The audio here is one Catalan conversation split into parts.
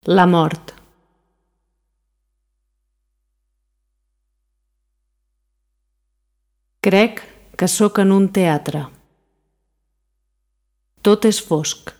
La mort. Crec que sóc en un teatre. Tot és fosc.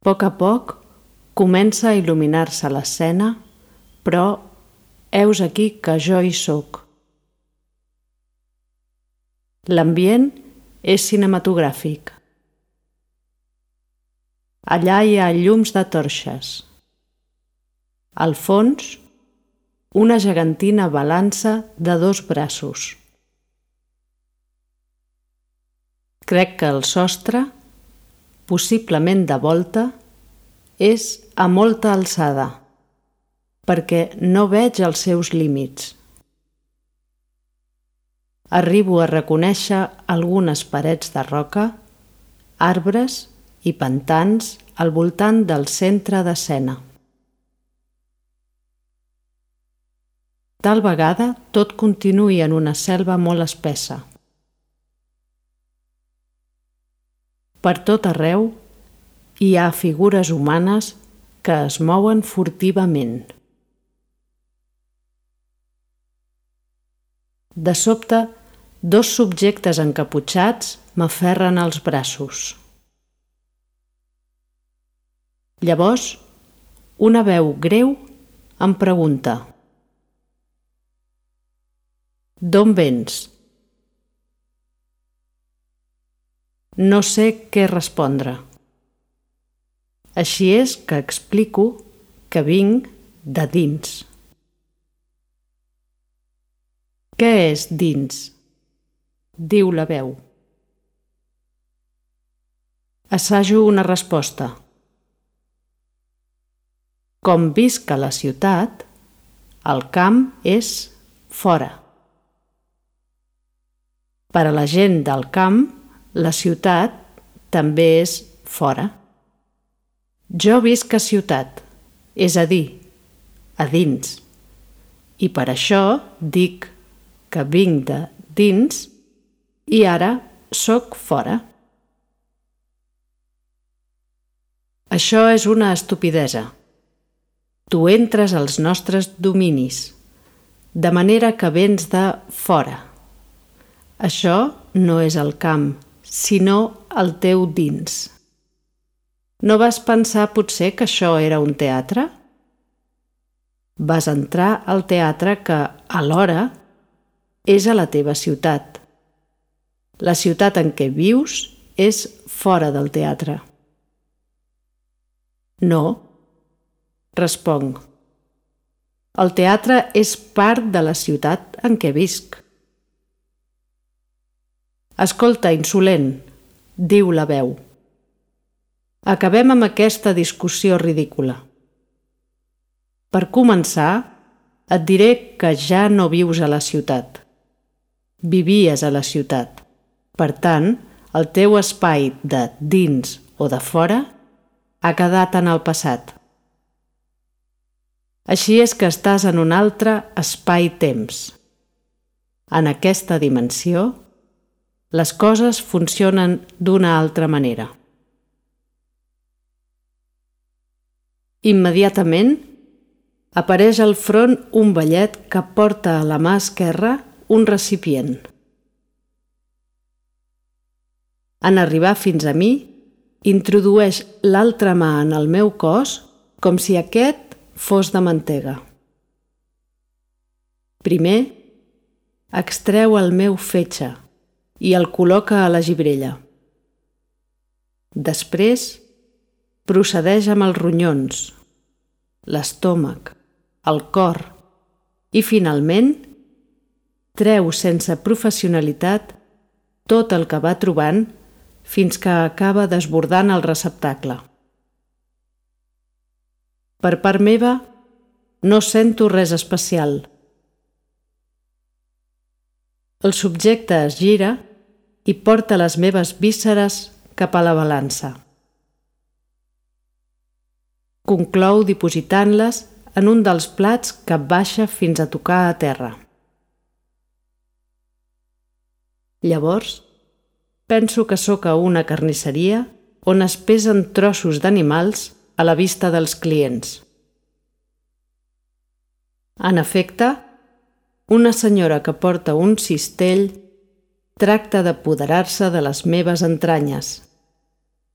A poc comença a il·luminar-se l'escena, però heus aquí que jo hi sóc. L'ambient és cinematogràfic. Allà hi ha llums de torxes. Al fons, una gegantina balança de 2 braços. Crec que el sostre, possiblement de volta, és a molta alçada, perquè no veig els seus límits. Arribo a reconèixer algunes parets de roca, arbres i pantans al voltant del centre d'escena. Tal vegada tot continuï en una selva molt espessa. Per tot arreu hi ha figures humanes que es mouen furtivament. De sobte, 2 subjectes encaputxats m'aferren als braços. Llavors, una veu greu em pregunta: «D'on vens?» No sé què respondre. Així és que explico que vinc de dins. «Què és dins?», diu la veu. Assajo una resposta. Com visc a la ciutat, el camp és fora. Per a la gent del camp, la ciutat també és fora. Jo visc a ciutat, és a dir, a dins, i per això dic que vinc de dins i ara sóc fora. Això és una estupidesa. Tu entres als nostres dominis, de manera que vens de fora. Això no és el camp, sinó el teu dins. No vas pensar potser que això era un teatre? Vas entrar al teatre que, alhora, és a la teva ciutat. La ciutat en què vius és fora del teatre. No, responc. El teatre és part de la ciutat en què visc. Escolta, insolent, diu la veu. Acabem amb aquesta discussió ridícula. Per començar, et diré que ja no vius a la ciutat. Vivies a la ciutat. Per tant, el teu espai de dins o de fora ha quedat en el passat. Així és que estàs en un altre espai-temps. En aquesta dimensió, les coses funcionen d'una altra manera. Immediatament, apareix al front un vellet que porta a la mà esquerra un recipient. En arribar fins a mi, introdueix l'altra mà en el meu cos com si aquest fos de mantega. Primer, extreu el meu fetge i el col·loca a la gibrella. Després, procedeix amb els ronyons, l'estómac, el cor i, finalment, treu sense professionalitat tot el que va trobant fins que acaba desbordant el receptacle. Per part meva, no sento res especial. El subjecte es gira i porta les meves vísceres cap a la balança. Conclou dipositant-les en un dels plats que baixa fins a tocar a terra. Llavors, penso que sóc a una carnisseria on es pesen trossos d'animals a la vista dels clients. En efecte, una senyora que porta un cistell tracta d'apoderar-se de les meves entranyes,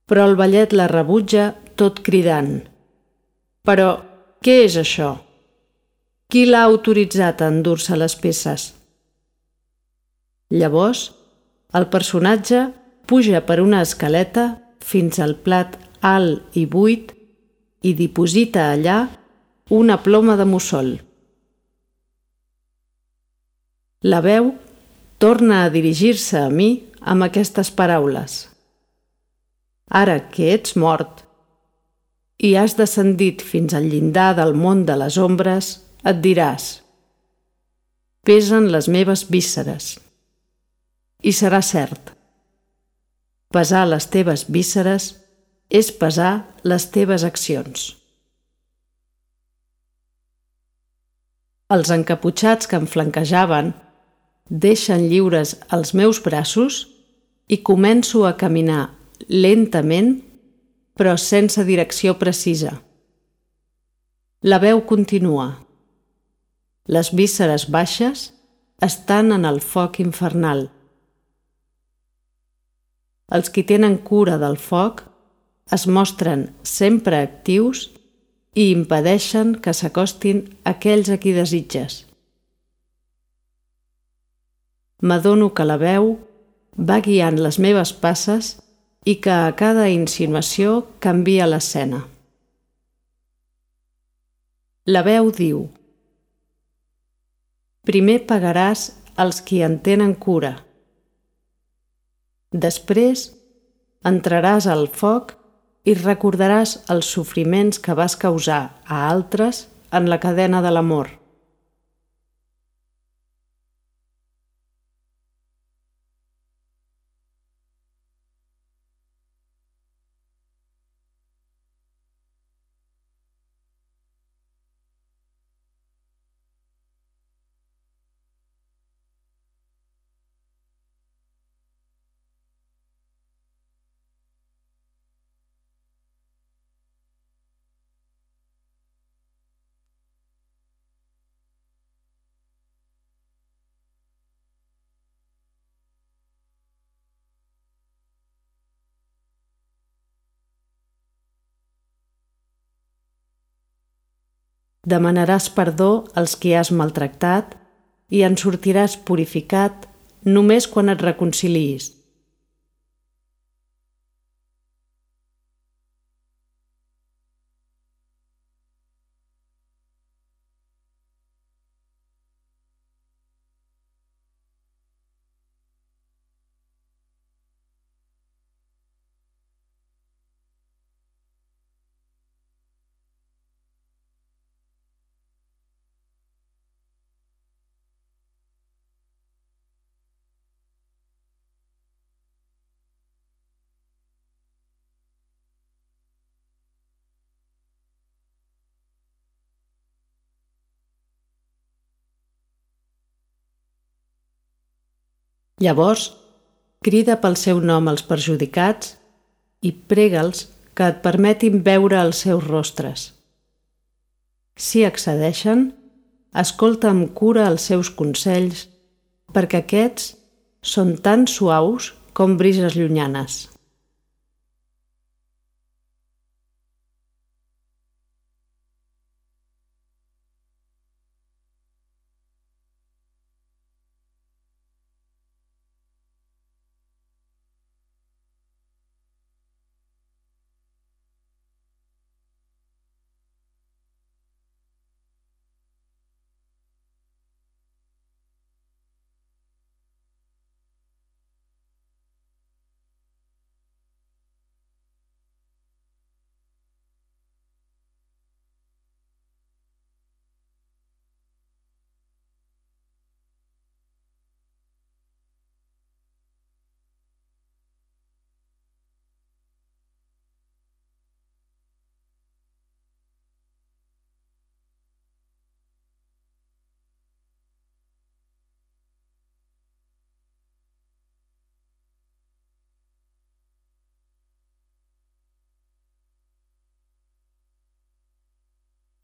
però el vellet la rebutja tot cridant: «Però què és això? Qui l'ha autoritzat a endur-se les peces?» Llavors, el personatge puja per una escaleta fins al plat alt i buit i diposita allà una ploma de mussol. La veu torna a dirigir-se a mi amb aquestes paraules: «Ara que ets mort i has descendit fins al llindar del món de les ombres, et diràs: pesen les meves vísceres. I serà cert. Pesar les teves vísceres és pesar les teves accions». Els encaputxats que em flanquejaven deixen lliures els meus braços i començo a caminar lentament, però sense direcció precisa. La veu continua: «Les vísceres baixes estan en el foc infernal. Els qui tenen cura del foc es mostren sempre actius i impedeixen que s'acostin aquells a qui desitges». M'adono que la veu va guiant les meves passes i que a cada insinuació canvia l'escena. La veu diu: «Primer pagaràs als qui en tenen cura. Després entraràs al foc i recordaràs els sofriments que vas causar a altres en la cadena de l'amor». Demanaràs perdó als qui has maltractat i en sortiràs purificat només quan et reconciliïs. Llavors, crida pel seu nom als perjudicats i prega'ls que et permetin veure els seus rostres. Si accedeixen, escolta amb cura els seus consells, perquè aquests són tan suaus com brises llunyanes.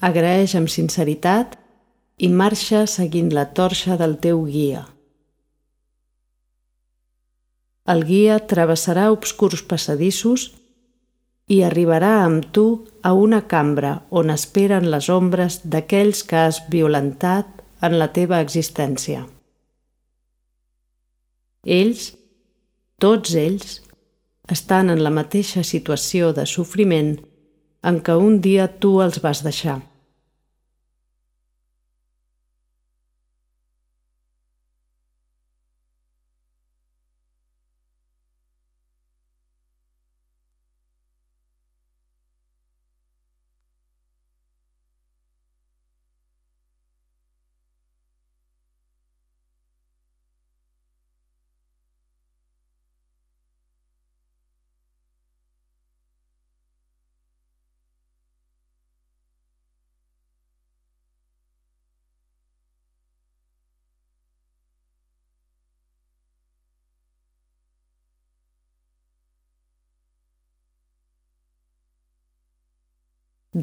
Agraeix amb sinceritat i marxa seguint la torxa del teu guia. El guia travessarà obscurs passadissos i arribarà amb tu a una cambra on esperen les ombres d'aquells que has violentat en la teva existència. Ells, tots ells, estan en la mateixa situació de sofriment en què un dia tu els vas deixar.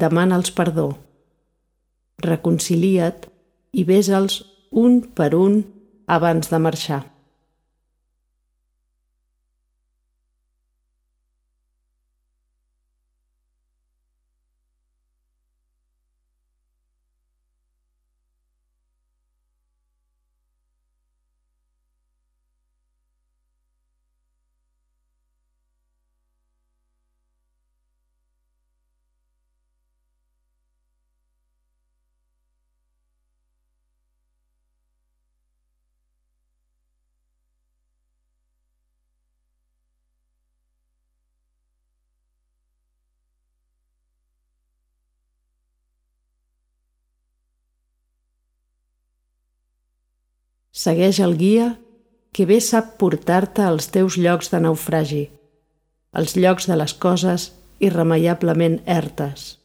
Demana'ls perdó, reconcilia't i besa'ls un per un abans de marxar. Segueix el guia que bé sap portar-te als teus llocs de naufragi, als llocs de les coses irremeiablement ertes.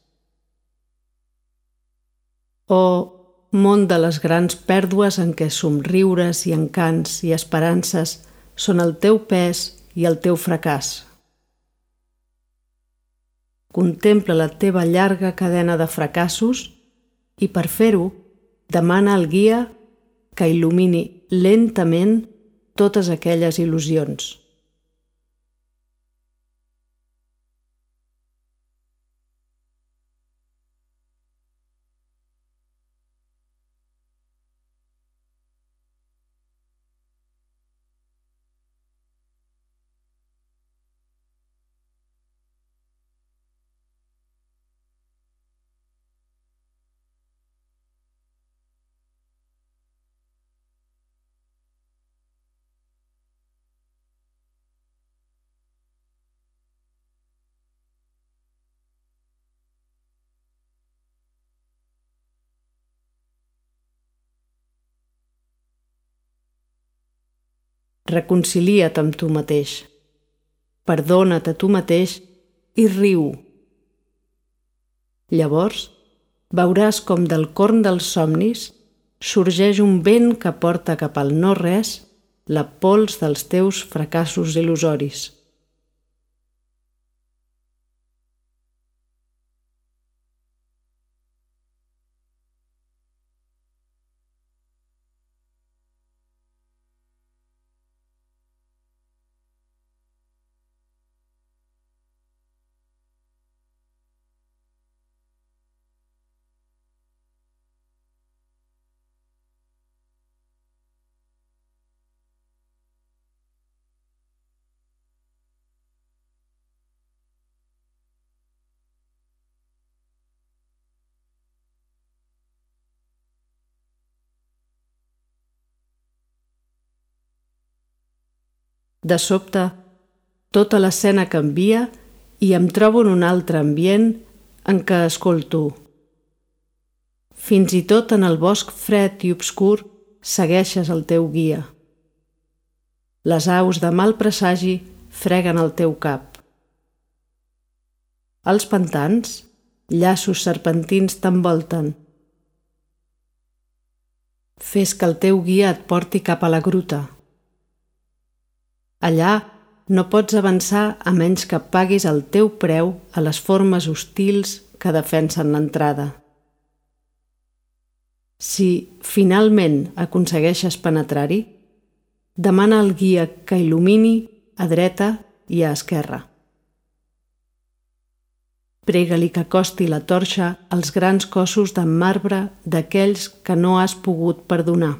Oh, món de les grans pèrdues en què somriures i encants i esperances són el teu pes i el teu fracàs. Contempla la teva llarga cadena de fracassos i per fer-ho demana al guia que il·lumini lentament totes aquelles il·lusions. Reconcilia't amb tu mateix, perdona't a tu mateix i riu. Llavors veuràs com del corn dels somnis sorgeix un vent que porta cap al no-res la pols dels teus fracassos il·lusoris. De sobte, tota l'escena canvia i em trobo en un altre ambient en què escolto. Fins i tot en el bosc fred i obscur segueixes el teu guia. Les aus de mal presagi freguen el teu cap. Als pantans, llaços serpentins t'envolten. Fes que el teu guia et porti cap a la gruta. Allà no pots avançar a menys que paguis el teu preu a les formes hostils que defensen l'entrada. Si finalment aconsegueixes penetrar-hi, demana al guia que il·lumini a dreta i a esquerra. Prega-li que acosti la torxa als grans cossos de marbre d'aquells que no has pogut perdonar.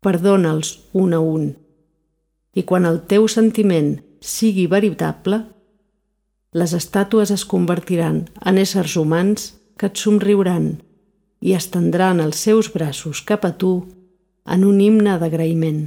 Perdona'ls un a un, i quan el teu sentiment sigui veritable, les estàtues es convertiran en éssers humans que et somriuran i estendran els seus braços cap a tu en un himne d'agraïment.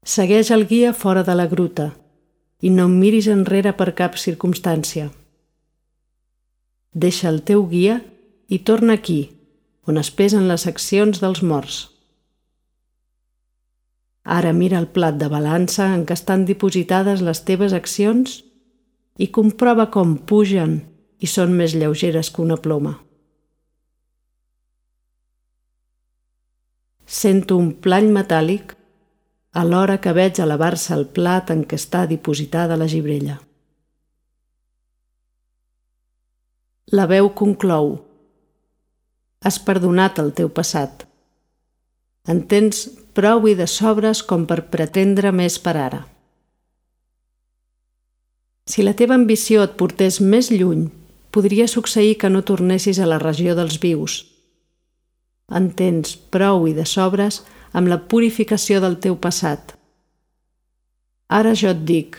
Segueix el guia fora de la gruta i no em miris enrere per cap circumstància. Deixa el teu guia i torna aquí, on es pesen les accions dels morts. Ara mira el plat de balança en què estan dipositades les teves accions i comprova com pugen i són més lleugeres que una ploma. Sento un plany metàl·lic alhora que veig elevar-se el plat en què està dipositada la gibrella. La veu conclou: has perdonat el teu passat. En tens prou i de sobres com per pretendre més per ara. Si la teva ambició et portés més lluny, podria succeir que no tornessis a la regió dels vius. En tens prou i de sobres amb la purificació del teu passat. Ara jo et dic,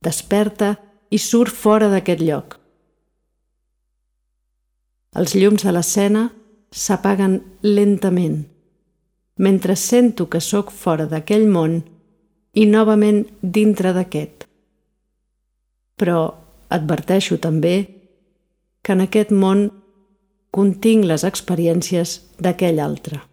desperta i surt fora d'aquest lloc. Els llums de l'escena s'apaguen lentament, mentre sento que sóc fora d'aquell món i novament dintre d'aquest. Però adverteixo també que en aquest món continc les experiències d'aquell altre.